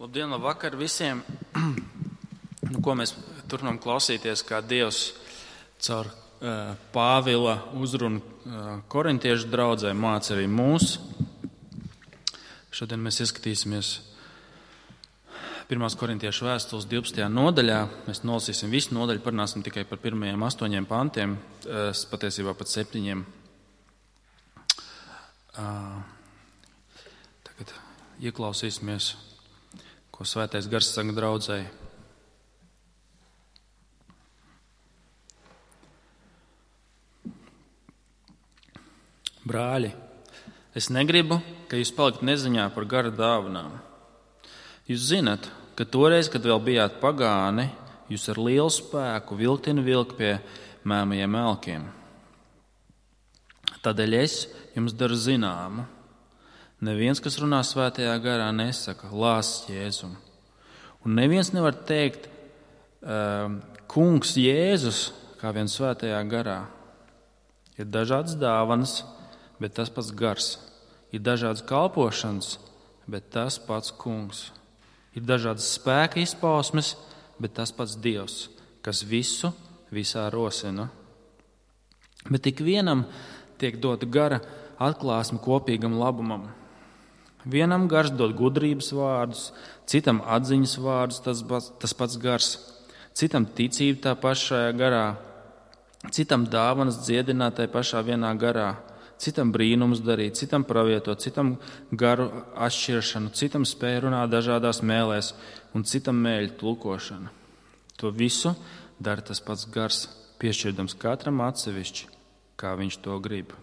Labdien, labvakar visiem! Ko mēs turpinām klausīties, kā Dievs caur Pāvila uzrunu korintiešu draudzē māca arī mūs. Šodien mēs ieskatīsimies 1. korintiešu vēstules 12. nodaļā. Mēs nolasīsim visu nodaļu, parunāsim tikai par pirmajiem 8 pantiem, patiesībā pat 7. Tagad ieklausīsimies, ko Svētais Gars saka draudzei. Brāļi, es negribu, ka jūs palikt neziņā par gara dāvanām. Jūs zinat, ka toreiz, kad vēl bijāt pagāni, jūs ar lielu spēku vilk pie mēmajiem elkiem. Tādēļ es jums daru zināmu. Neviens, kas runā svētajā garā, nesaka lāsts Jēzum. Un neviens nevar teikt kungs Jēzus kā vien svētajā garā. Ir dažādas dāvanas, bet tas pats gars. Ir dažādas kalpošanas, bet tas pats kungs. Ir dažādas spēka izpausmes, bet tas pats Dievs, kas visu visā rosina. Bet ik vienam tiek dota gara atklāsme kopīgam labumam. Vienam gars dod gudrības vārdus, citam atziņas vārdus, tas pats gars, citam ticība tā pašā garā, citam dāvanas dziedināt tā pašā vienā garā, citam brīnums darīt, citam pravietot, citam garu atšķiršanu, citam spēju runāt dažādās mēlēs un citam mēļu tulkošanu. To visu dara tas pats gars, piešķirdams katram atsevišķi, kā viņš to grib.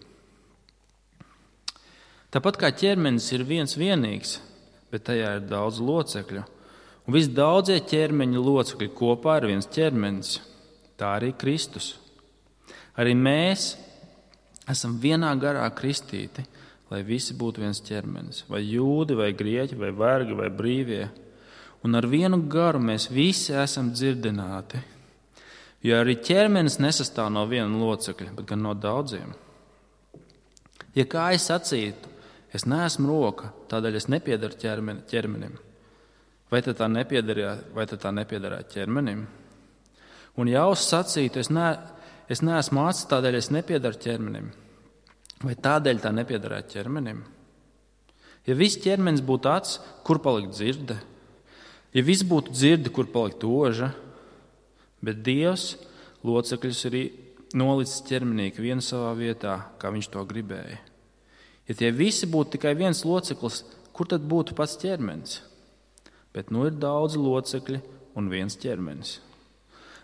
Tāpat kā ķermenis ir viens vienīgs, bet tajā ir daudz locekļu, un visi daudzie ķermeņa locekļi kopā ir viens ķermenis, tā arī Kristus. Arī mēs esam vienā garā kristīti, lai visi būtu viens ķermenis, vai jūdi, vai grieķi, vai vergi, vai brīvie. Un ar vienu garu mēs visi esam dzirdināti, jo arī ķermenis nesastāv no viena locekļa, bet gan no daudziem. Ja kā es sacītu, es neesmu roka, tādēļ es nepiedaru ķermenim. Vai tad tā nepiedarā ķermenim? Un ja es sacītu, es neesmu acis, tādēļ es nepiedaru ķermenim. Vai tādēļ tā nepiedarā ķermenim? Ja viss ķermenis būtu acis, kur palikt dzirde? Ja viss būtu dzirde, kur palikt oža? Bet Dievs locekļus ir nolicis ķermenī vienu savā vietā, kā viņš to gribēja. Ja tie visi būtu tikai viens loceklis, kur tad būtu pats ķermenis? Bet nu ir daudzi locekļi un viens ķermenis.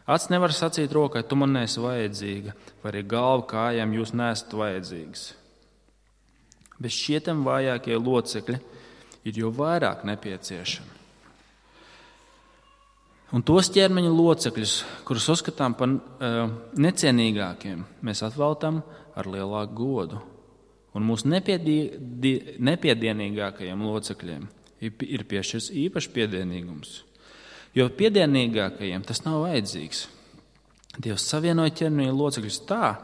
Acis nevar sacīt rokai, tu man neesi vajadzīga, vai arī galva kājām jūs neesat vajadzīgas. Bet šietam vājākie locekļi ir jau vairāk nepieciešami. Un tos ķermeņa locekļus, kurus uzskatām par necienīgākiem, mēs atveltam ar lielāku godu. Un mūsu nepiedienīgākajiem locekļiem ir piešķirts īpašs piedienīgums. Jo piedienīgākajiem tas nav vajadzīgs. Dievs savienoja ķermeņa locekļus tā,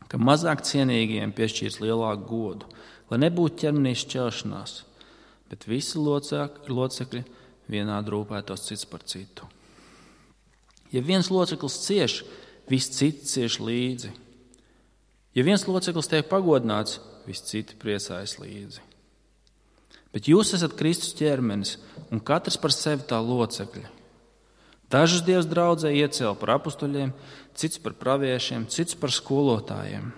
ka mazāk cienīgajiem piešķīrs lielāku godu, lai nebūtu ķermenī šķelšanās, bet visi locekļi vienādi rūpētos cits par citu. Ja viens loceklis cieš, viss cits cieš līdzi. Ja viens loceklis tiek pagodināts, visi citi priecājas līdzi. Bet jūs esat Kristus ķermenis, un katrs par sevi tā locekļi. Dažus Dievs draudzē iecēla par apustuļiem, cits par praviešiem, cits par skolotājiem.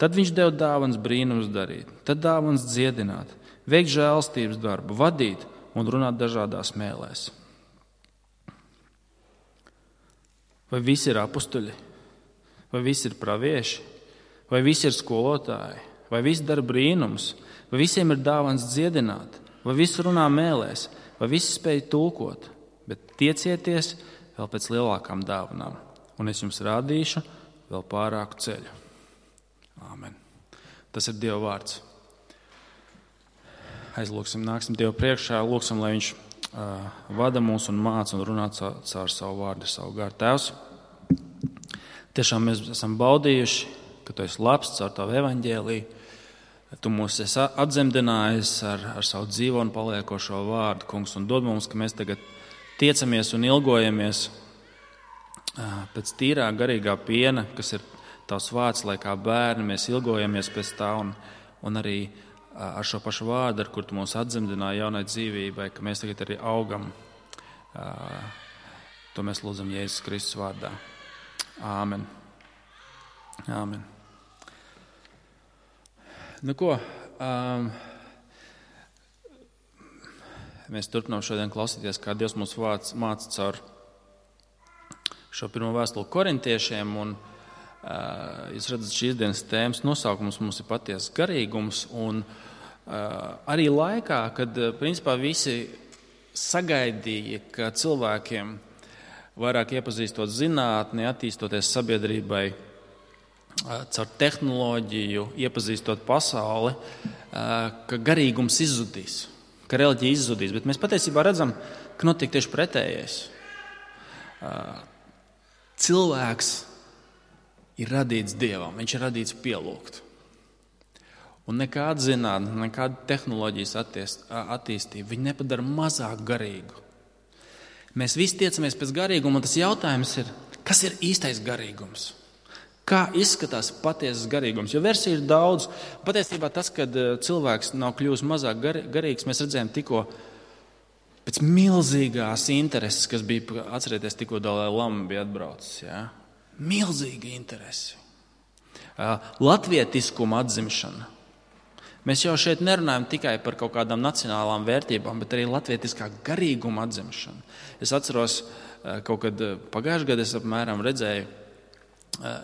Tad viņš deva dāvanas brīnums darīt, tad dāvanas dziedināt, veikt žēlstības darbu, vadīt un runāt dažādās mēlēs. Vai visi ir apustuļi? Vai visi ir pravieši? Vai visi ir skolotāji? Vai visi dara brīnums? Vai visiem ir dāvans dziedināt? Vai visi runā mēlēs? Vai visi spēj tulkot? Bet tiecieties vēl pēc lielākām dāvanām, un es jums rādīšu vēl pārāku ceļu. Āmen. Tas ir Dieva vārds. Aizlūksim, nāksim Dievu priekšā, lūksim, lai viņš vada mūs un māca un runā caur savu vārdu, savu garu. Tēvs, tiešām mēs esam baudījuši, ka tu esi labs caur tavu evaņģēliju. Tu mūs esi atzemdinājis ar savu dzīvo un paliekošo vārdu, kungs, un dod mums, ka mēs tagad tiecamies un ilgojamies pēc tīrā garīgā piena, kas ir tavs vārds, lai kā bērni mēs ilgojamies pēc tā, un arī ar šo pašu vārdu, ar kur tu mūs atzemdināji jaunai dzīvībai, ka mēs tagad arī augam. To mēs lūdzam Jēzus Kristus vārdā. Āmen. Āmen. Nu ko, mēs turpinām šodien klausīties, kā Dievs mūs māca caur šo pirmo vēstuli korintiešiem, un jūs redzat, šīs dienas tēmas nosaukums mums ir patiesas garīgums, un arī laikā, kad principā visi sagaidīja, ka cilvēkiem vairāk iepazīstot zinātni, attīstoties sabiedrībai, caur tehnoloģiju, iepazīstot pasauli, ka garīgums izzudīs, ka reliģija izzudīs, bet mēs patiesībā redzam, ka notiek tieši pretējais. Cilvēks ir radīts Dievam, viņš ir radīts pielūgt. Un nekāda zinātne, nekāda tehnoloģijas attīstība, viņi nepadara mazāk garīgu. Mēs visi tiecamies pēc garīguma, un tas jautājums ir, kas ir īstais garīgums? Kā izskatās patiesas garīgums? Jo versiju ir daudz. Patiesībā tas, kad cilvēks nav kļuvis mazāk garīgs, mēs redzējām tikko pēc milzīgās intereses, kas bija, atcerieties, tikko Dalai Lama bija atbraucis. Ja? Milzīga interese. Latvietiskuma atzimšana. Mēs jau šeit nerunājam tikai par kaut kādām nacionālām vērtībām, bet arī latvietiskā garīguma atzimšana. Es atceros, kaut kad pagājušajā gadā es apmēram redzēju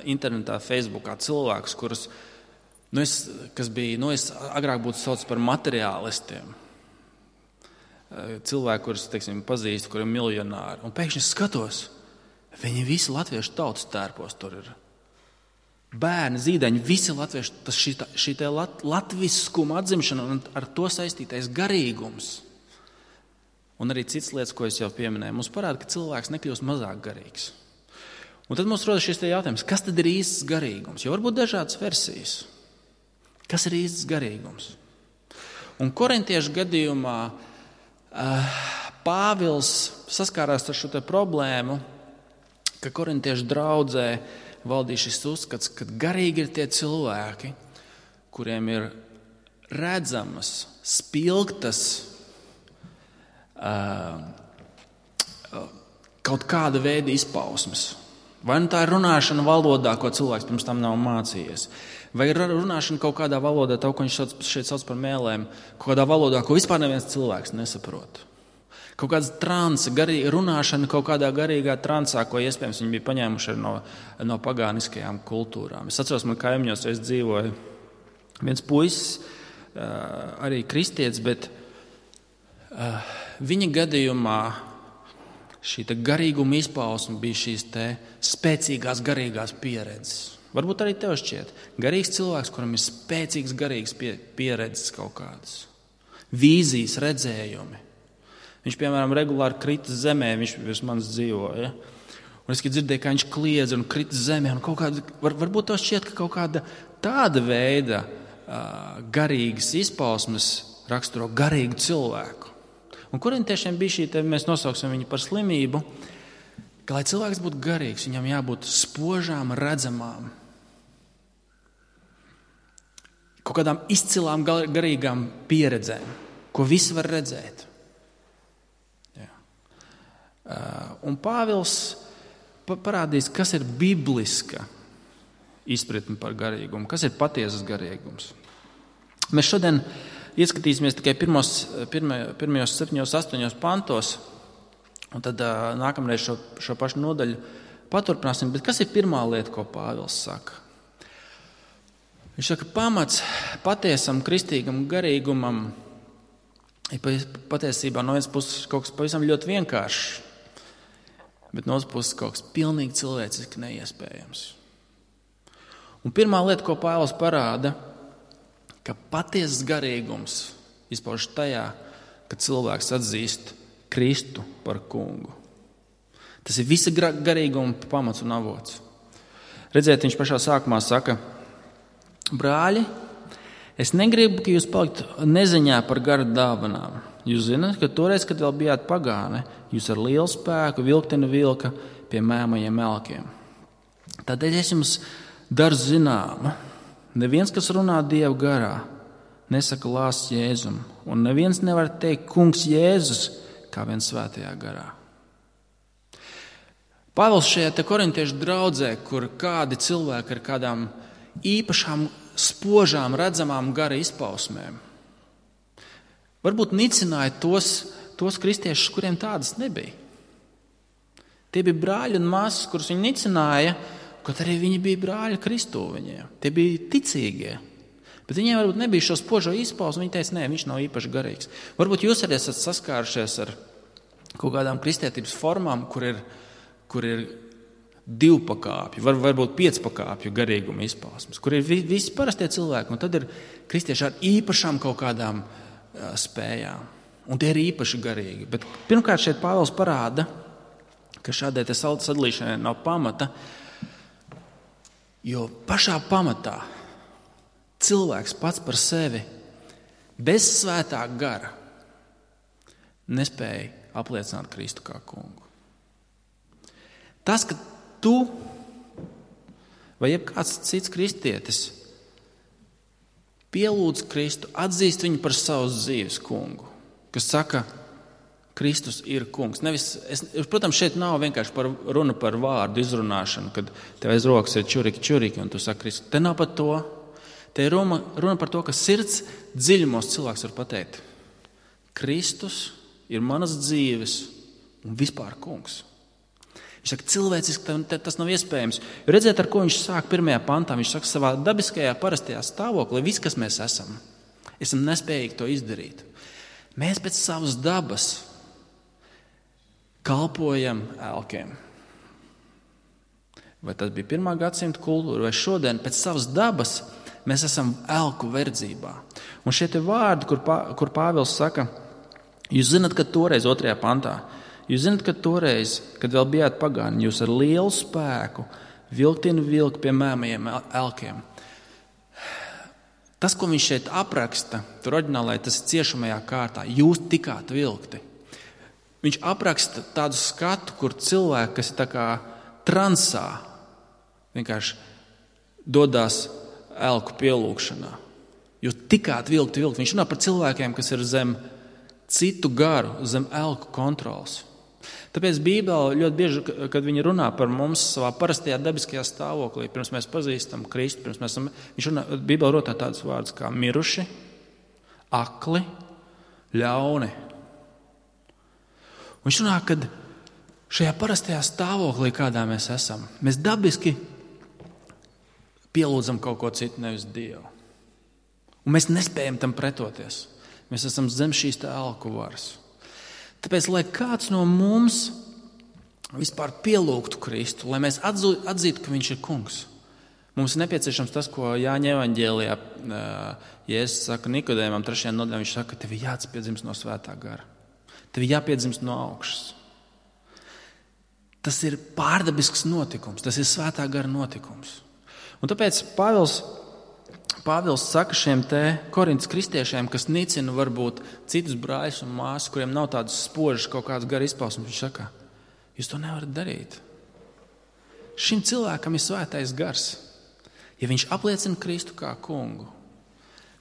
internetā, Facebookā cilvēkus, kas bija, es agrāk būtu saucis par materiālistiem. Cilvēki, kurus, teiksim, pazīstu, kuri ir miljonāri. Un pēkšņi skatos, viņi visi latviešu tautas tērpos tur ir. Bērni, zīdaiņi, visi latvieši, šī latviskuma atzimšana un ar to saistītais garīgums. Un arī citas lietas, ko es jau pieminēju, mums parāda, ka cilvēks nekļūst mazāk garīgs. Un tad mums rodas šis jautājums, kas tad ir īsts garīgums? Jo varbūt dažādas versijas. Kas ir īsts garīgums? Un korintiešu gadījumā Pāvils saskārās ar šo te problēmu, ka korintiešu draudzē valdīja šis uzskats, ka garīgi ir tie cilvēki, kuriem ir redzamas, spilgtas kaut kāda veida izpausmes. Vai nu tā ir runāšana valodā, ko cilvēks pirms tam nav mācījies, vai ir runāšana kaut kādā valodā, tā, ko viņš šeit sauc par mēlēm, kaut kādā valodā, ko vispār neviens cilvēks nesaprot. Kaut kāds transa, runāšana kaut kādā garīgā transā, ko iespējams viņi bija paņēmuši no pagāniskajām kultūrām. Es atceros, man kaimiņos reiz dzīvoja viens puisis, arī kristietis, bet viņa gadījumā šī garīguma izpausme bija šīs te spēcīgās garīgās pieredzes. Varbūt arī tev šķiet. Garīgs cilvēks, kuram ir spēcīgs garīgs pieredzes kaut kādas. Vīzijas, redzējumi. Viņš, piemēram, regulāri krita zemē, viņš virs manis dzīvoja. Un es dzirdēju, kā viņš kliedza un krita zemē. Un varbūt tev šķiet, ka kaut kāda tāda veida garīgas izpausmes raksturo garīgu cilvēku. Un korintiešiem bija šī, mēs nosauksim viņu par slimību, ka, lai cilvēks būtu garīgs, viņam jābūt spožām, redzamām, kaut kādām izcilām garīgām pieredzēm, ko visi var redzēt. Jā. Un Pāvils parādīs, kas ir bibliska izpratne par garīgumu, kas ir patiesas garīgums. Mēs šodien ieskatīsimies tikai pirmajos 7-8 pantos, un tad nākamreiz šo pašu nodaļu paturpināsim. Bet kas ir pirmā lieta, ko Pāvils saka? Viņš saka, pamats patiesam kristīgam garīgumam ir patiesībā no vienas puses kaut kas pavisam ļoti vienkāršs, bet no otras puses kaut kas pilnīgi cilvēciski neiespējams. Un pirmā lieta, ko Pāvils parāda, ka patiesas garīgums izpaužas tajā, ka cilvēks atzīst Kristu par kungu. Tas ir visa garīguma pamats un avots. Redziet, viņš pašā sākumā saka, brāļi, Es negribu, ka jūs paliktu neziņā par gara dāvanām. Jūs zināt, ka toreiz, kad vēl bijāt pagāni, jūs ar lielu spēku vilkteni vilka pie mēmajiem elkiem. Tādēļ es jums daru zināmu. Neviens, kas runā Dievu garā, nesaka lāsts Jēzum, un neviens nevar teikt kungs Jēzus, kā vien svētajā garā. Pāvils šajā te korintiešu draudzē, kur kādi cilvēki ar kādām īpašām, spožām, redzamām gara izpausmēm, varbūt nicināja tos kristiešus, kuriem tādas nebija. Tie bija brāļi un māsas, kurus viņi nicināja, kaut arī viņi bija brāļi Kristū viņiem. Tie bija ticīgie. Bet viņiem varbūt nebija šo spožo izpausmu, viņi teica, nē, viņš nav īpaši garīgs. Varbūt jūs arī esat saskārušies ar kaut kādām kristietības formām, kur ir 2 pakāpju, varbūt 5 pakāpju garīguma izpausmes, kur ir visi parastie cilvēki, un tad ir kristieši ar īpašām kaut kādām spējām. Un tie ir īpaši garīgi. Bet pirmkārt šeit Pāvils parāda, ka šādai sadalīšanai nav pamata, jo pašā pamatā cilvēks pats par sevi bez svētā gara nespēja apliecināt Kristu kā kungu. Tas, ka tu vai jebkāds cits kristietis pielūdz Kristu, atzīst viņu par savas dzīves kungu, kas saka, Kristus ir kungs. Protams, šeit nav vienkārši runa par vārdu izrunāšanu, kad tev aiz rokas ir čuriki, un tu saki Kristus. Te nav par to. Te ir runa par to, ka sirds dziļumos cilvēks var pateikt. Kristus ir manas dzīves un vispār kungs. Viņš saka, cilvēciski tas nav iespējams. Jo redziet, ar ko viņš sāk 1. pantā. Viņš saka, savā dabiskajā, parastajā stāvoklī, viss, kas mēs esam nespējīgi to izdarīt. Mēs pēc savas dabas kalpojam elkiem. Vai tas bija 1. gadsimta kultūra, vai šodien pēc savas dabas mēs esam elku verdzībā. Un šie te vārdi, kur Pāvils saka, jūs zināt, ka toreiz 2. pantā, jūs zināt, ka toreiz, kad vēl bijāt pagāni, jūs ar lielu spēku vilktini vilku pie mēmajiem elkiem. Tas, ko viņš šeit apraksta, tur oriģinālai tas ir ciešamajā kārtā, jūs tikāt vilkti. Viņš apraksta tādu skatu, kur cilvēki, kas ir tā kā transā, vienkārši dodās elku pielūgšanā. Jūs tikāt vilkti. Viņš runā par cilvēkiem, kas ir zem citu garu, zem elku kontrols. Tāpēc Bībele ļoti bieži, kad viņi runā par mums savā parastajā dabiskajā stāvoklī, pirms mēs pazīstam Kristu, Bībele runā tādus vārdus kā miruši, akli, ļauni. Viņš runā, ka šajā parastajā stāvoklī, kādā mēs esam, mēs dabiski pielūdzam kaut ko citu, nevis Dievu. Un mēs nespējam tam pretoties. Mēs esam zem šīs elku varas. Tāpēc, lai kāds no mums vispār pielūgtu Kristu, lai mēs atzītu, ka viņš ir kungs, mums ir nepieciešams tas, ko Jāņa evaņģēlijā Jēzus saka Nikodēmam 3. nodaļā. Viņš saka, ka tev ir jāatpiedzimst no svētā gara. Tev ir jāpiedzimst no augšas. Tas ir pārdabisks notikums, tas ir svētā gara notikums. Un tāpēc Pāvils saka šiem te Korintas kristiešiem, kas nicina varbūt citus brāļus un māsas, kuriem nav tādas spožas kaut kādas gara izpausmes, viņš saka, jūs to nevarat darīt. Šim cilvēkam ir svētais gars. Ja viņš apliecina Kristu kā kungu,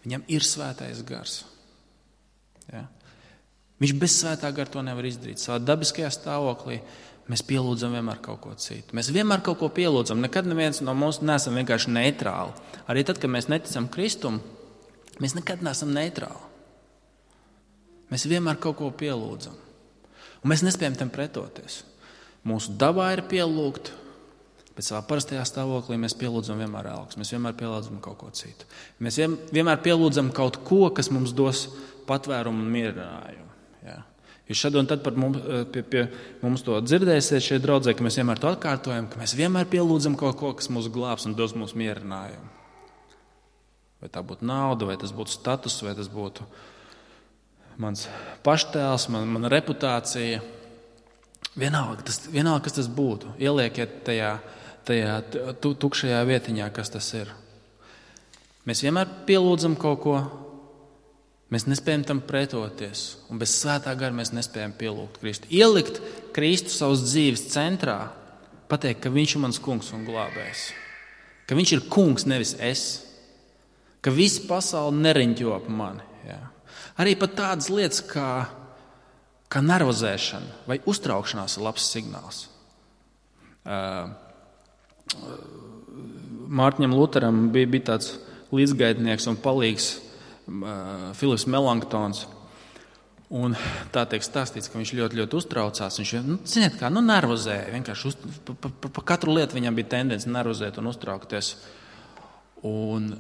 viņam ir svētais gars. Ja? Viņš bez svētā gara to nevar izdarīt. Savā dabiskajā stāvoklī mēs pielūdzam vienmēr kaut ko citu. Mēs vienmēr kaut ko pielūdzam. Nekad neviens no mums neesam vienkārši neitrāli. Arī tad, kad mēs neticam Kristum, mēs nekad neesam neitrāli. Mēs vienmēr kaut ko pielūdzam. Un mēs nespējam tam pretoties. Mūsu dabā ir pielūgt, bet savā parastajā stāvoklī mēs pielūdzam vienmēr elks. Mēs vienmēr pielūdzam kaut ko citu. Mēs vienmēr pielūdzam kaut ko, kas mums dos patvērumu un mierinājumu. Ja? Jūs šad un tad pie mums to dzirdēsiet šeit draudzē, ka mēs vienmēr to atkārtojam, ka mēs vienmēr pielūdzam kaut ko, kas mūs glābs un dos mums mierinājumu. Vai tā būtu nauda, vai tas būtu status, vai tas būtu mans paštēls, mana reputācija. Vienalga, kas tas būtu. Ieliekiet tajā tukšajā vietiņā, kas tas ir. Mēs vienmēr pielūdzam kaut ko, mēs nespējam tam pretoties, un bez svētā gara mēs nespējam pielūgt Kristu. Ielikt Kristu savas dzīves centrā, pateikt, ka viņš ir mans kungs un glābējs, ka viņš ir kungs, nevis es, ka visa pasaule neriņķo ap mani. Jā. Arī pat tādas lietas kā nervozēšana vai uztraukšanās ir labs signāls. Mārtiņam Luteram bija tāds līdzgaitnieks un palīgs Filips Melanktons. Un tā tiek stāstīts, ka viņš ļoti, ļoti uztraucās. Viņš nervozēja. Vienkārši pa katru lietu viņam bija tendence nervozēt un uztraukties. Un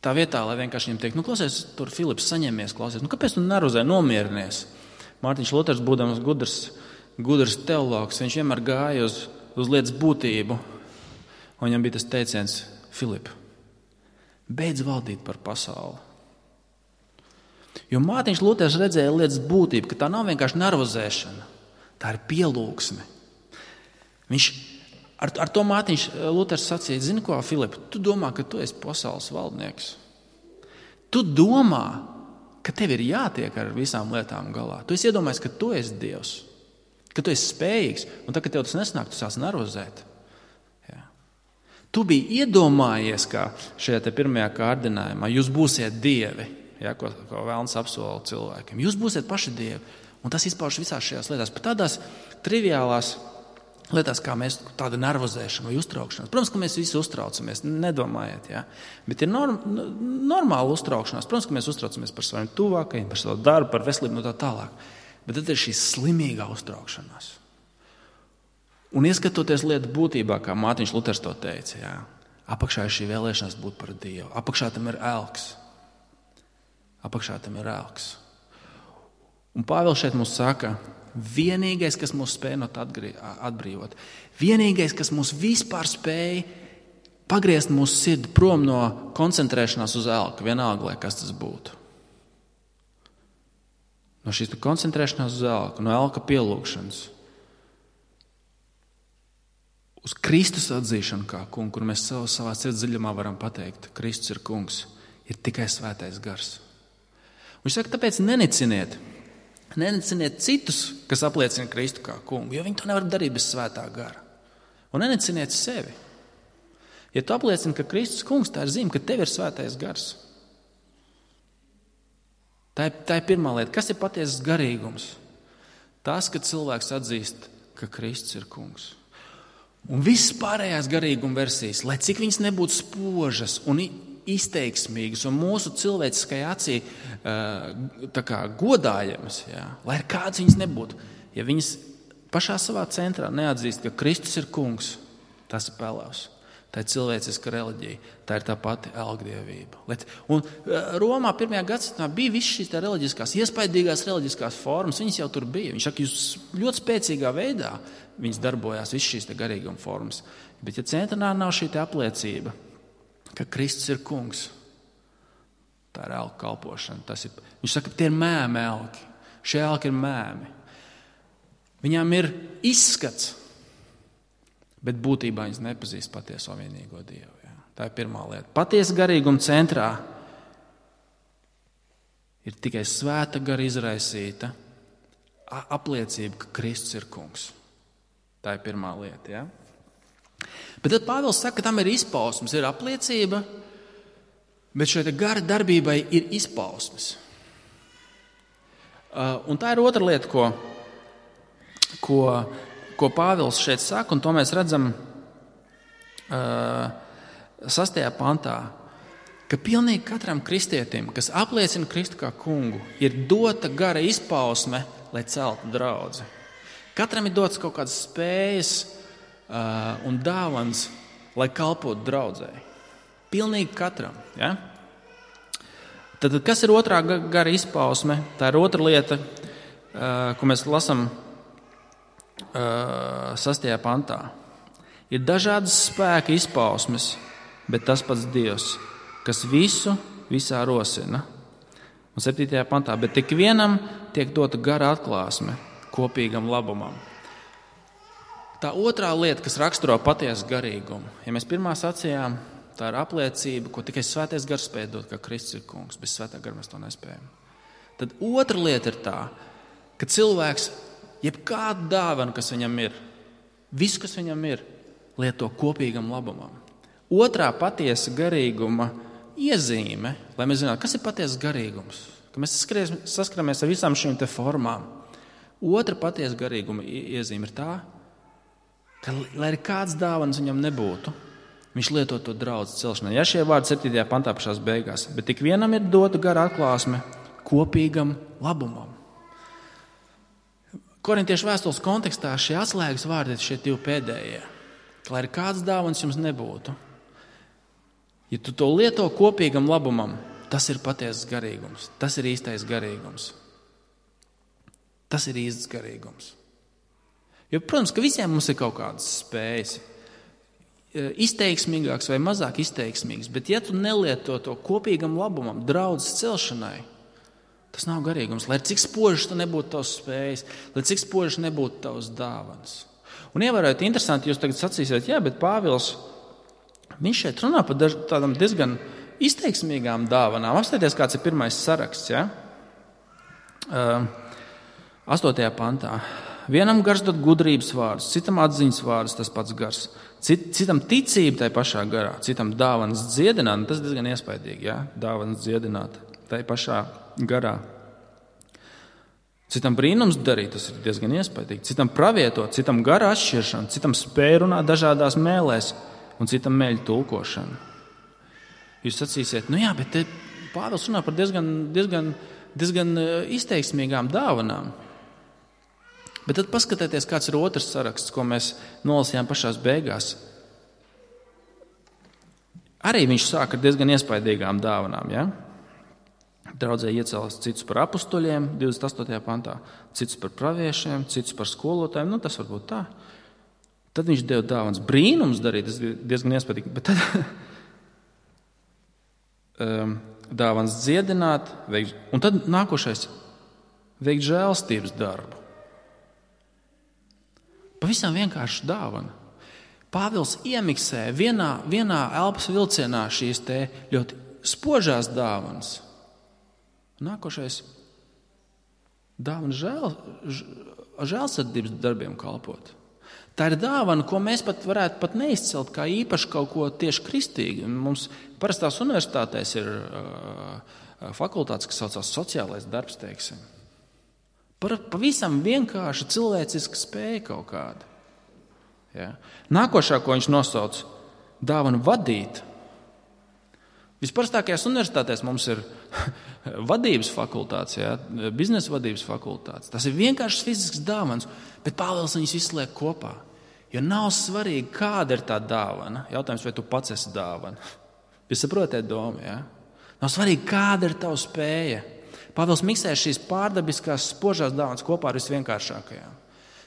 tā vietā, lai vienkārši viņam teikt, klausies, tur Filips saņemies, klausies, kāpēc tu nervozē, nomierinies? Mārtiņš Luters, būdams gudrs teologs, viņš vienmēr gāja uz lietas būtību. Un viņam bija tas teiciens, Filip, beidz valdīt par pasauli. Jo Mārtiņš Luters redzēja lietas būtību, ka tā nav vienkārši nervozēšana, tā ir pielūgsme. Ar to Mārtiņš Luters sacīja, zini ko, Filip, tu domā, ka tu esi pasaules valdnieks. Tu domā, ka tev ir jātiek ar visām lietām galā. Tu esi iedomājies, ka tu esi Dievs, ka tu esi spējīgs, un tad, kad tev tas nesnāk, tu sāc nervozēt. Tu biji iedomājies, kā šajā te pirmajā kārdinājumā, jūs būsiet dievi, ko vēlns apsola cilvēkiem. Jūs būsiet paši dievi, un tas izpaužas visās šajās lietās. Pat tādās triviālās lietās, kā mēs tāda nervozēšana vai uztraukšanās. Protams, ka mēs visi uztraucamies, nedomājiet, ja? Bet ir normāla uztraukšanās. Protams, ka mēs uztraucamies par saviem tuvākajiem, par savu darbu, par veselību un tā tālāk. Bet tad ir šī slimīgā uztraukšanās. Un ieskatoties lietu būtībā, kā Mārtiņš Luters to teica, jā, apakšā ir šī vēlēšanās būt par Dievu. Apakšā tam ir elks. Un Pāvils šeit mums saka, vienīgais, kas mūs spēj no tā atbrīvot, vienīgais, kas mūs vispār spēj pagriezt mūsu sirdi prom no koncentrēšanās uz elku, vienalga, lai kas tas būtu. No šīs koncentrēšanās uz elku, no elka pielūgšanas, uz Kristus atzīšanu kā kungu, kur mēs savā sirds dziļumā varam pateikt, Kristus ir kungs, ir tikai svētais gars. Un viņš saka, tāpēc neniciniet citus, kas apliecina Kristu kā kungu, jo viņi to nevar darīt bez svētā gara. Un neniciniet sevi. Ja tu apliecini, ka Kristus kungs, tā ir zīme, ka tev ir svētais gars. Tā ir pirmā lieta. Kas ir patiesas garīgums? Tas, ka cilvēks atzīst, ka Kristus ir kungs. Un visas pārējās garīguma versijas, lai cik viņas nebūtu spožas un izteiksmīgas un mūsu cilvēciskai acī godājamas, jā, lai ir kāds viņas nebūtu, ja viņas pašā savā centrā neatzīst, ka Kristus ir kungs, tas ir pelavs. Tā ir cilvēciska reliģija, tā ir tā pati elgdievība. Un Romā 1. gadsimtā bija visas šīs reliģiskās, iespaidīgās reliģiskās formas, viņas jau tur bija. Viņš saka, jūs ļoti spēcīgā veidā viņas darbojās, visas šīs garīguma formas. Bet ja centrā nav šī apliecība, ka Kristus ir kungs, tā ir elku kalpošana. Viņš saka, tie ir mēmi elki. Šie elki ir mēmi. Viņām ir izskats, bet būtībā viņas nepazīst patieso vienīgo Dievu. Jā. Tā ir pirmā lieta. Patiesa garīguma centrā ir tikai svēta gara izraisīta apliecība, ka Kristus ir kungs. Tā ir pirmā lieta. Jā. Bet tad Pāvils saka, ka tam ir izpausmes, ir apliecība, bet šai gara darbībai ir izpausmes. Un tā ir otra lieta, ko Pāvils šeit saka, un to mēs redzam 6. pantā, ka pilnīgi katram kristietim, kas apliecina Kristu kā kungu, ir dota gara izpausme, lai celtu draudzi. Katram ir dots kaut kādas spējas un dāvans, lai kalpotu draudzei. Pilnīgi katram. Ja? Tad, kas ir otrā gara izpausme? Tā ir otra lieta, ko mēs lasām 6. pantā. Ir dažādas spēka izpausmes, bet tas pats Dievs, kas visu visā rosina. Un 7. pantā, bet tik vienam tiek dota gara atklāsme kopīgam labumam. Tā otrā lieta, kas raksturo patiesu garīgumu. Ja mēs pirmā sacījām, Tā ir apliecība, ko tikai svētais gars spēj dot, ka Kristus ir kungs. Bez svētā gara mēs to nespējam. Tad otra lieta ir tā, ka cilvēks jebkādu dāvanu, kas viņam ir, visu, kas viņam ir, lieto kopīgam labumam. Otrā patiesa garīguma iezīme, lai mēs zinātu, kas ir patiesas garīgums, ka mēs saskaramies ar visām šīm te formām. Otra patiesa garīguma iezīme ir tā, ka, lai arī kāds dāvanas viņam nebūtu, viņš lieto to draudz celšanai. Ja šie vārdi 7. pantā pašās beigās, bet tik vienam ir dota gara atklāsme kopīgam labumam. Korintiešu vēstules kontekstā šie atslēgas vārdi ir šie divi pēdējie. Lai arī kāds dāvanas jums nebūtu, ja tu to lieto kopīgam labumam, tas ir patiesas garīgums. Tas ir īstais garīgums. Tas ir īsts garīgums. Jo, protams, ka visiem mums ir kaut kādas spējas. Izteiksmīgāks vai mazāk izteiksmīgs, bet ja tu nelieto to kopīgam labumam, draudzes celšanai, tas nav garīgums. Lai cik spožas tu nebūtu tavs spējas, lai cik spožas nebūtu tavs dāvanas. Un ievērojot, interesanti, jūs tagad sacīsiet, jā, bet Pāvils, viņš šeit runā par tādām diezgan izteiksmīgām dāvanām. Apstāties, kāds ir pirmais saraksts, ja? 8. pantā. Vienam gars dod gudrības vārdus, citam atziņas vārdus, tas pats gars. Citam ticība tai pašā garā, citam dāvanas dziedināt, tas diezgan iespaidīgi, ja? Dāvanas dziedināt tai pašā garā. Citam brīnums darīt, tas ir diezgan iespaidīgi. Citam pravietot, citam gara atšķiršana, citam spēj runāt dažādās mēlēs un citam mēļu tulkošana. Jūs sacīsiet, nu jā, bet te Pāvils runā par diezgan izteiksmīgām dāvanām. Bet tad paskatieties, kāds ir otrs saraksts, ko mēs nolasījām pašās beigās. Arī viņš sāk ar diezgan iespaidīgām dāvanām, ja? Draudzē iecēlās citus par apustuļiem, 28. pantā, citus par praviešiem, citus par skolotājiem, nu tas varbūt tā. Tad viņš deva dāvanas brīnums darīt, tas diezgan iespaidīgi, bet tad dāvanas dziedināt, un tad nākošais veikt žēlstības darbu. Pavisam vienkārši dāvana. Pāvils iemiksē vienā elpas vilcienā šīs te ļoti spožās dāvanas. Nākošais dāvana žēlsirdības darbiem kalpot. Tā ir dāvana, ko mēs pat varētu pat neizcelt kā īpaši kaut ko tieši kristīgi. Mums parastās universitātēs ir fakultātes, kas saucās sociālais darbs, teiksim. Pavisam vienkārši cilvēciska spēja kaut kāda. Ja? Nākošā, ko viņš nosauc, dāvana vadīt. Visparastākajās universitātēs mums ir vadības fakultātes, ja? Biznesa vadības fakultātes. Tas ir vienkāršs fizisks dāvans, bet Pāvils viņus visu liek kopā. Jo nav svarīgi, kāda ir tā dāvana. Jautājums, vai tu pats esi dāvana. Jūs saprotat domu, ja? Nav svarīgi, kāda ir tava spēja. Pāvils miksē šīs pārdabiskās spožās dāvanas kopā ar visvienkāršākajām.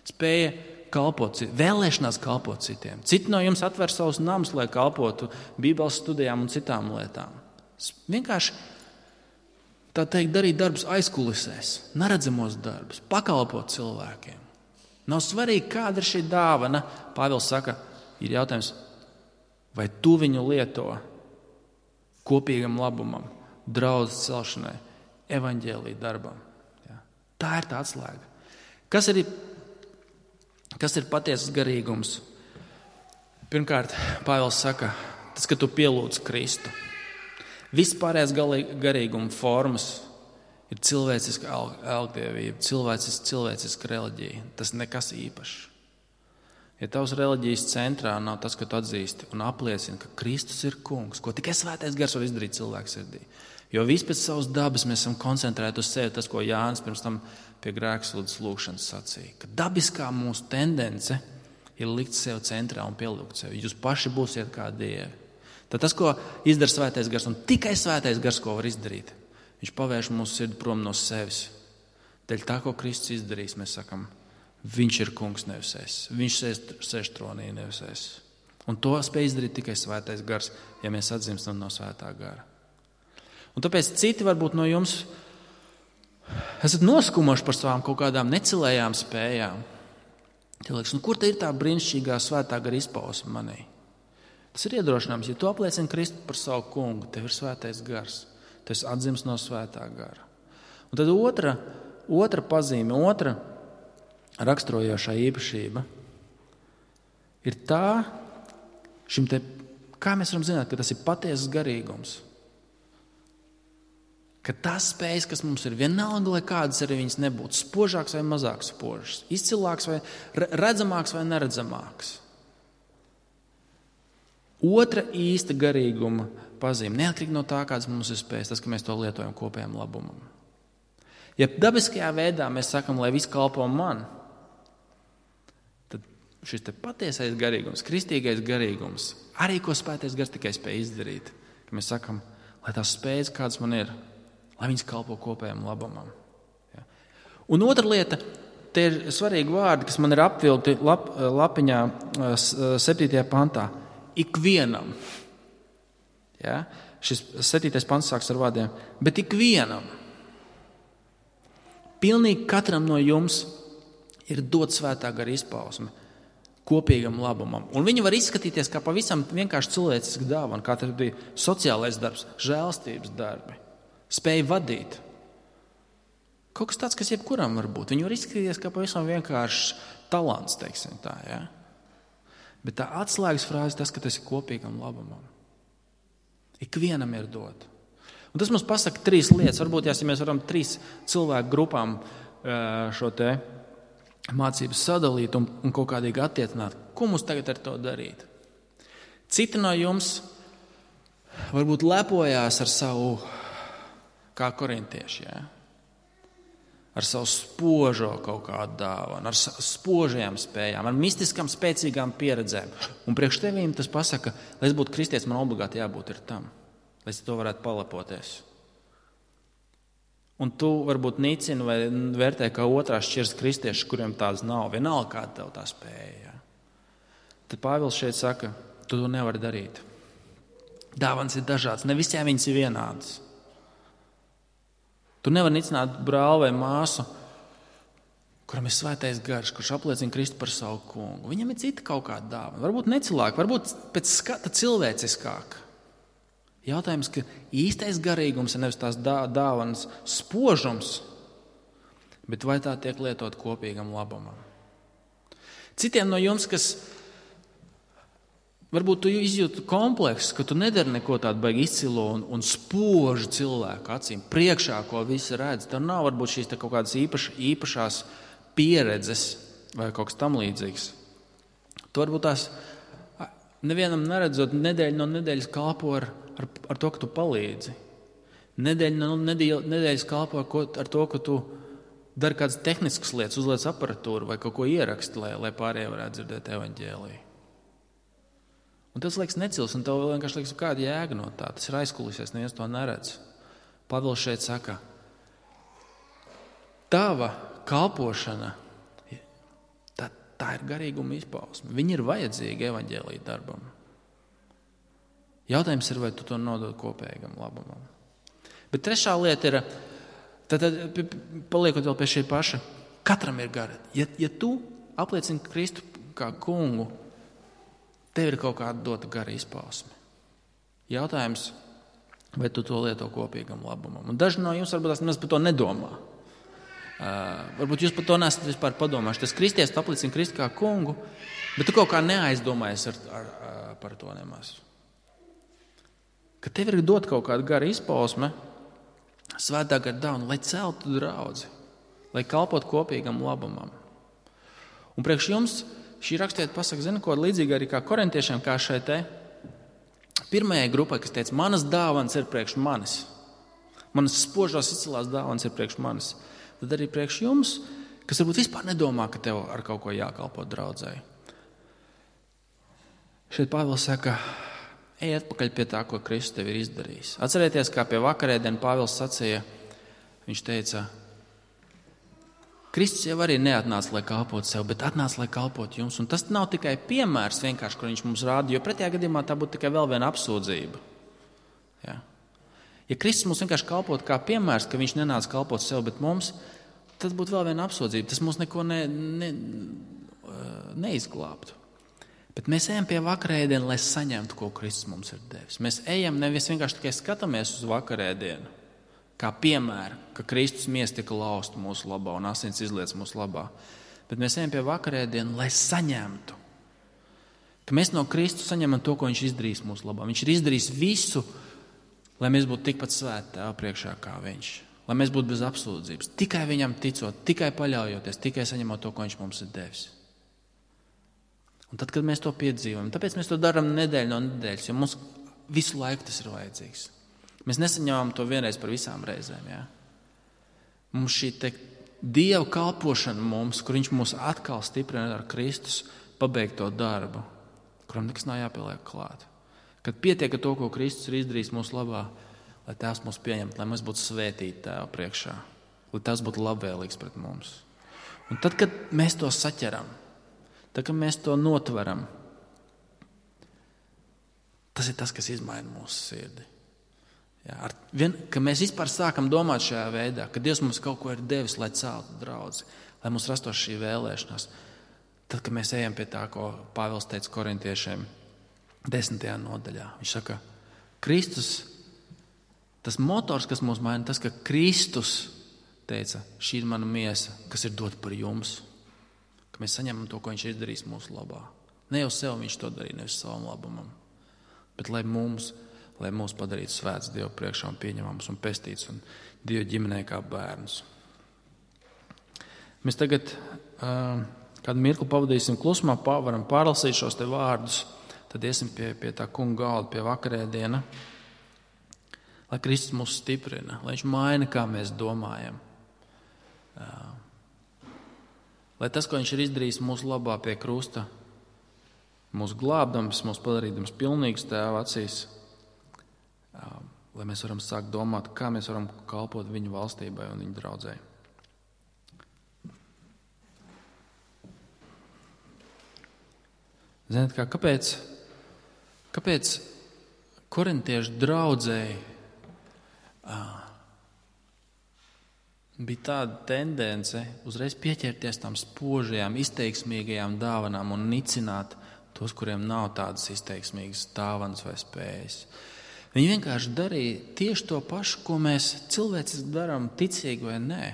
Spēja kalpot, vēlēšanās kalpot citiem. Citi no jums atver savus namus, lai kalpotu Bībeles studijām un citām lietām. Vienkārši, tā teikt, darīt darbus aizkulisēs, neredzamos darbus, pakalpot cilvēkiem. Nav svarīgi, kāda ir šī dāvana. Pāvils saka, ir jautājums, vai tu viņu lieto kopīgam labumam, draudzes celšanai, evaņģēlija darbam. Ja. Tā ir tā atslēga. Kas ir patiesas garīgums? Pirmkārt, Pāvils saka, tas, ka tu pielūdz Kristu. Vispārējās garīguma formas ir cilvēciska algdievība, cilvēciska reliģija. Tas nekas īpašs. Ja tavs reliģijas centrā nav tas, ka tu atzīsti un apliecini, ka Kristus ir kungs, ko tikai svētais gars var izdarīt cilvēku sirdī. Jo viss pēc savas dabas mēs esam koncentrēti uz sevi, tas, ko Jānis pirms tam pie grēksūdzes lūgšanas sacīja. Ka dabiskā mūsu tendence ir likt sevi centrā un pielūgt sevi. Jūs paši būsiet kā dievi. Tad tas, ko izdara svētais gars, un tikai svētais gars, ko var izdarīt, viņš pavērš mūsu sirdi prom no sevis. Dēļ tā, ko Kristus izdarīs, mēs sakam, viņš ir kungs, nevis es. Viņš sēž tronī, nevis es. Un to spēj izdarīt tikai svētais gars, ja mēs atzimstam no svētā gara. Un tāpēc citi varbūt no jums esat noskumuši par savām kaut kādām necilējām spējām. Liekas, kur te ir tā brīnišķīgā svētā gara izpausme manī? Tas ir iedrošinājums, ja tu apliecini Kristu par savu kungu, tev ir svētais gars, tu esi atdzimis no svētā gara. Un tad otra pazīme, otra raksturojošā īpašība ir tā, kā mēs varam zināt, ka tas ir patiesas garīgums. Ka tās spējas, kas mums ir, vienalga, lai kādas arī viņas nebūtu, spožāks vai mazāk spožas, izcilāks vai redzamāks vai neredzamāks. Otra īsta garīguma pazīme, neatkarīgi no tā, kādas mums ir spējas, tas, ka mēs to lietojam kopējam labumam. Ja dabiskajā veidā mēs sakam, lai viss kalpo man, tad šis te patiesais garīgums, kristīgais garīgums, arī ko svētais gars tikai spēj izdarīt, ka mēs sakam, lai tās spējas, kādas man ir, lai viņas kalpo kopējam labumam. Ja. Un otra lieta, te ir svarīgi vārdi, kas man ir apvilkti lapiņā 7. pantā. Ikvienam. Ja? Šis 7. pants sāks ar vārdiem. Bet ikvienam. Pilnīgi katram no jums ir dot svētā gara izpausme kopīgam labumam. Un viņi var izskatīties kā pavisam vienkārši cilvēciski dāvana, kā tas bija sociālais darbs, žēlstības darbi, spēja vadīt. Kaut kas tāds, kas jebkuram var būt. Viņi var izskatīties kā pavisam vienkārši talants, teiksim tā, ja? Bet tā atslēgas frāze tas, ka tas ir kopīgam labumam. Ikvienam ir dot. Un tas mums pasaka 3 lietas. Varbūt, ja mēs varam 3 cilvēku grupām šo te mācības sadalīt un kaut kādīgi attiecināt, ko mums tagad ar to darīt? Citi no jums varbūt lepojās ar savu, kā korintieši, ja? Ar savu spožo kaut kādu dāvanu, ar spožajām spējām, ar mistiskām spēcīgām pieredzēm. Un priekš tevīm tas pasaka, lai es būtu kristietis, man obligāti jābūt ir tam, lai es to varētu palepoties. Un tu varbūt nicini vai vērtē kā otrās šķiras kristieši, kuriem tādas nav, vienalga kāda tev tā spēja. Ja? Tad Pāvils šeit saka, tu to nevari darīt. Dāvanas ir dažādas, ne visiem viņas ir vienādas. Tu nevari nicināt brāli vai māsu, kuram ir svētais gars, kurš apliecina Kristu par savu kungu. Viņam ir cita kaut kāda dāvana. Varbūt necilāka, varbūt pēc skata cilvēciskāka. Jautājums, ka īstais garīgums ir nevis tās dāvanas spožums, bet vai tā tiek lietot kopīgam labumam. Citiem no jums, kas varbūt tu izjūti kompleksu, ka tu nedari neko tādu baigi izcilo un spožu cilvēku acīm, priekšā, ko visi redz. Tev nav varbūt šīs kaut kādas īpašās pieredzes vai kaut kas tam līdzīgs. Tu varbūt tās nevienam neredzot nedēļu no nedēļas kalpo ar to, ka tu palīdzi. Nedēļu no nedēļas kalpo ar to, ka tu dari kādas tehniskas lietas, uzliec aparatūru vai kaut ko ieraksti, lai pārējie varētu dzirdēt evaņģēliju. Un tas liekas necils, un tev vienkārši liekas, kāda jēga no tā. Tas ir aizkulisēs, neviens to neredz. Pāvils šeit saka, tava kalpošana, tā ir garīguma izpausme. Viņi ir vajadzīgi evaņģēlija darbam. Jautājums ir, vai tu to nodod kopējam labumam. Bet trešā lieta ir, tad paliekot vēl pie šī paša, katram ir gara. Ja tu apliecini Kristu kā kungu, tev ir kaut kāda dota gara izpausme. Jautājums, vai tu to lieto kopīgam labumam. Un daži no jums varbūt nemaz par to nedomā. Varbūt jūs par to nesat vispār padomājuši. Tas kristietis apliecina Kristu kā kungu, bet tu kaut kā neaizdomājies par to nemaz. Ka tev ir dot kaut kāda gara izpausme, svētā gara dāvana, lai celtu draudzi, lai kalpot kopīgam labumam. Un priekš jums šī rakstiet pasaka, zina, ko līdzīgi arī kā korintiešiem, kā šai te pirmajai grupai, kas teica, manas dāvanas ir priekš manis. Manas spožās izcilās dāvanas ir priekš manis. Tad arī priekš jums, kas varbūt vispār nedomā, ka tev ar kaut ko jākalpo draudzēji. Šeit Pāvils saka, ej atpakaļ pie tā, ko Kristus tev ir izdarījis. Atcerieties, kā pie vakarēdienu Pāvils sacīja, viņš teica, Kristus jau arī neatnāca, lai kalpotu sev, bet atnāca, lai kalpotu jums. Un tas nav tikai piemērs vienkārši, kur viņš mums rāda, jo pretējā gadījumā tā būtu tikai vēl viena apsūdzība. Ja? Ja Kristus mums vienkārši kalpotu kā piemērs, ka viņš nenāca kalpot sev, bet mums, tad būtu vēl viena apsūdzība. Tas mums neko neizglābtu. Bet mēs ejam pie vakarēdienu, lai saņemtu, ko Kristus mums ir devis. Mēs ejam nevis vienkārši tikai skatāmies uz vakarēdienu, kā piemēru, ka Kristus miesa tika lausta mūsu labā un asins izliets mūsu labā. Bet mēs ejam pie vakarēdienu, lai saņemtu. Ka mēs no Kristus saņemam to, ko viņš izdarīs mūsu labā. Viņš ir izdarījis visu, lai mēs būtu tikpat svēti Tēva priekšā kā viņš. Lai mēs būtu bez apsūdzības. Tikai viņam ticot, tikai paļaujoties, tikai saņemot to, ko viņš mums ir devis. Un tad, kad mēs to piedzīvojam, tāpēc mēs to darām nedēļu no nedēļas, jo mums visu laiku tas ir vajadzīgs. Mēs nesaņemam to vienreiz par visām reizēm. Ja? Mums šī Dieva kalpošana mums, kur viņš mūs atkal stiprina ar Kristus pabeigto darbu, kuram nekas nav jāpieliek klāt. Kad pietiek ar to, ko Kristus ir izdarījis mūsu labā, lai Tēvs mūs pieņemtu, lai mēs būtu svētīti Tēva priekšā, lai Tēvs būtu labvēlīgs pret mums. Un tad, kad mēs to saķeram, tad, kad mēs to notveram, tas ir tas, kas izmaina mūsu sirdi. Ja, ka mēs vispār sākam domāt šajā veidā, ka Dievs mums kaut ko ir devis, lai celtu draudzi, lai mums rastos šī vēlēšanās. Tad, kad mēs ejam pie tā, ko Pāvils teica korintiešiem 10. nodaļā. Viņš saka, Kristus, tas motors, kas mūs maina, tas, ka Kristus teica, šī ir mana miesa, kas ir dota par jums. Ka mēs saņemam to, ko viņš ir izdarījis mūsu labā. Ne jau sev viņš to darīja, nevis savam labumam, bet lai mūs padarītu svēts Dievu priekšā un pieņemams un pestīts un Dievu ģimenē kā bērns. Mēs tagad kādu mirkli pavadīsim klusumā, varam pārlasīt šos te vārdus, tad iesim pie tā kunga galda, pie vakarēdiena, lai Kristus mūs stiprina, lai viņš maina, kā mēs domājam. Lai tas, ko viņš ir izdarījis mūsu labā pie krusta, mūs glābdams, mūs padarīdams pilnīgus Tēva acīs, lai mēs varam sākt domāt, kā mēs varam kalpot viņu valstībai un viņu draudzei. Ziniet, kāpēc korintiešu draudzei bija tāda tendence uzreiz pieķerties tām spožajām, izteiksmīgajām dāvanām un nicināt tos, kuriem nav tādas izteiksmīgas dāvanas vai spējas. Viņi vienkārši darīja tieši to pašu, ko mēs cilvēciski darām, ticīgi vai nē.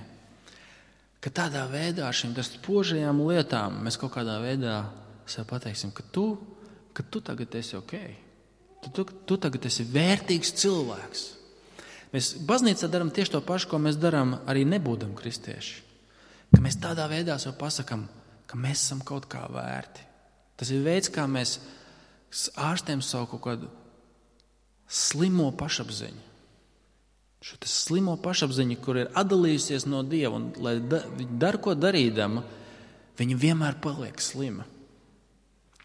Ka tādā veidā šīm spožajām lietām mēs kaut kādā veidā sev pateiksim, ka tu tagad esi ok. Tu tagad esi vērtīgs cilvēks. Mēs baznīcā darām tieši to pašu, ko mēs darām arī nebūdam kristieši. Ka mēs tādā veidā sev pasakam, ka mēs esam kaut kā vērti. Tas ir veids, kā mēs ārstējam savu kaut kādu slimo pašapziņu. Šo slimo pašapziņu, kur ir atdalījusies no Dieva, un lai viņi dara, ko darīdama, viņi vienmēr paliek slima.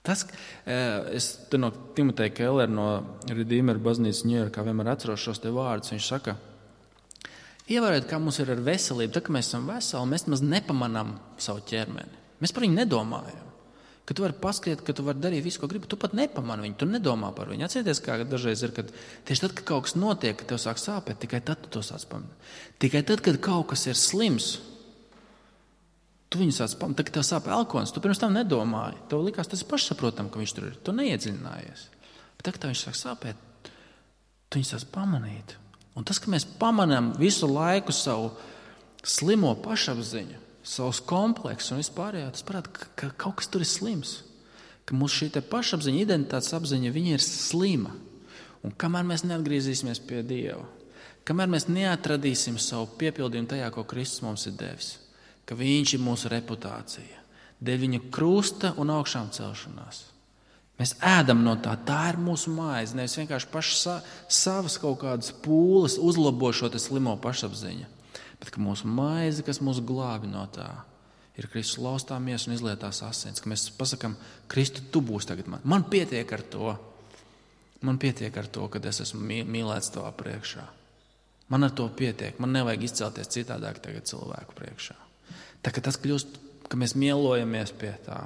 Es no Timoteja Kellera no Redeemer baznīcas Ņujorkā vienmēr atceros šos te vārdus. Viņš saka, ievērojiet, kā mums ir ar veselību, tad, kad mēs esam veseli, mēs maz nepamanām savu ķermeni. Mēs par viņu nedomājam. Ka tu vari paskriet, ka tu vari darīt visu, ko gribi, tu pat nepamani viņu, tu nedomā par viņu. Atcerieties, kā dažreiz ir, kad tieši tad, kad kaut kas notiek, kad tev sāk sāpēt, tikai tad tu to sāc pamanīt. Tikai tad, kad kaut kas ir slims, tu viņu sāc pamanīt. Tad, kad tev sāp elkons, tu pirms tam nedomāji. Tev likās, tas ir pašsaprotam, ka viņš tur ir. Tu neiedziļinājies. Bet tad, kad viņš sāk sāpēt, tu viņu sāc pamanīt. Un tas, ka mēs pamanām visu laiku savu slimo pašapziņu, savus kompleksus un vispārējā, tas parāda, ka kaut kas tur ir slims. Ka mūsu šī pašapziņa, identitātes apziņa, viņa ir slima. Un kamēr mēs neatgriezīsimies pie Dieva, kamēr mēs neatradīsim savu piepildījumu tajā, ko Kristus mums ir devis, ka viņš ir mūsu reputācija, dēļ viņa krusta un augšām celšanās. Mēs ēdam no tā ir mūsu maize, nevis vienkārši paši savas kaut kādas pūles uzlabo šo slimo pašapziņu. Bet ka mūsu maize, kas mūs glābi no tā, ir Kristus laustā miesa un izlietās asins. Ka mēs pasakām, Kristu, tu būsi tagad man. Man pietiek ar to. Man pietiek ar to, kad es esmu mīlēts tavā priekšā. Man ar to pietiek. Man nevajag izcelties citādāk tagad cilvēku priekšā. Tā kā tas kļūst, ka mēs mielojamies pie tā,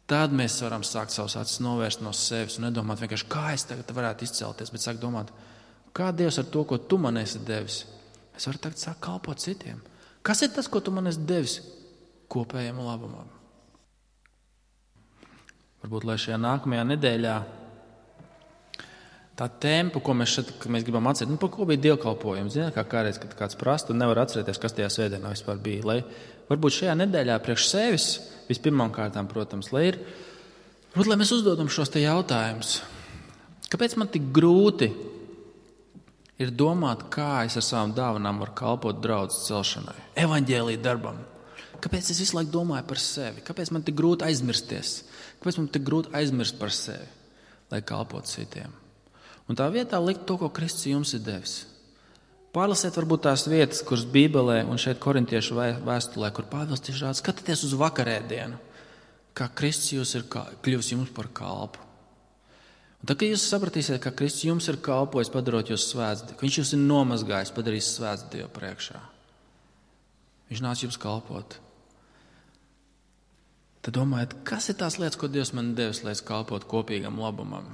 tad mēs varam sākt savus acis novērst no sevis un nedomāt vienkārši, kā es tagad varētu izcelties, bet sākt domāt, kā Dievs ar to, ko tu man esi devis, es varu tagad sākt kalpot citiem. Kas ir tas, ko tu man esi devis kopējiem labumam? Varbūt, lai šajā nākamajā nedēļā tā tempa, ko mēs gribam atcerēt, par ko bija dievkalpojums. Zināt, kā kādreiz, kad kāds prasta un nevar atcerēties, kas tajā svētdienā vispār bija. Lai varbūt šajā nedēļā priekš sevis vispirmām kārtām, protams, lai mēs uzdodam šos te jautājumus. Kāpēc man tik grūti ir domāt, kā es ar savām dāvanām varu kalpot draudzes celšanai, evaņģēlija darbam? Kāpēc es visu laiku domāju par sevi? Kāpēc man tik grūti aizmirsties? Kāpēc man tik grūti aizmirst par sevi, lai kalpotu citiem? Un tā vietā likt to, ko Kristus jums ir devis. Pārlasiet varbūt tās vietas, kuras Bībelē un šeit korintiešu vēstulē, kur Pāvils tieši rāda, skatieties uz vakarēdienu, kā Kristus jūs ir kļuvis jums par kalpu. Un tad, kad jūs sapratīsiet, ka Kristus jums ir kalpojis, padarot jūs svētdievu, viņš jūs ir nomazgājis, padarījis svētdievu priekšā. Viņš nāca jums kalpot. Tad domājiet, kas ir tās lietas, ko Dievs man devis, lai es kalpotu kopīgam labumam?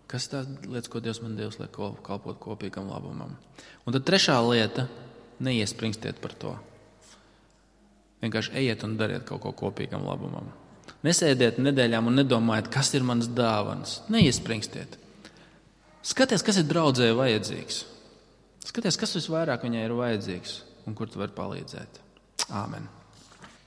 Kas ir tās lietas, ko Dievs man devis, lai kalpotu kopīgam labumam? Un tad trešā lieta – neiespringstiet par to. Vienkārši ejiet un dariet kaut ko kopīgam labumam. Nesēdiet nedēļām un nedomājiet, kas ir manas dāvanas. Neiespringstiet. Skaties, kas ir draudzēji vajadzīgs. Skaties, kas visvairāk viņai ir vajadzīgs un kur tu vari palīdzēt. Āmen.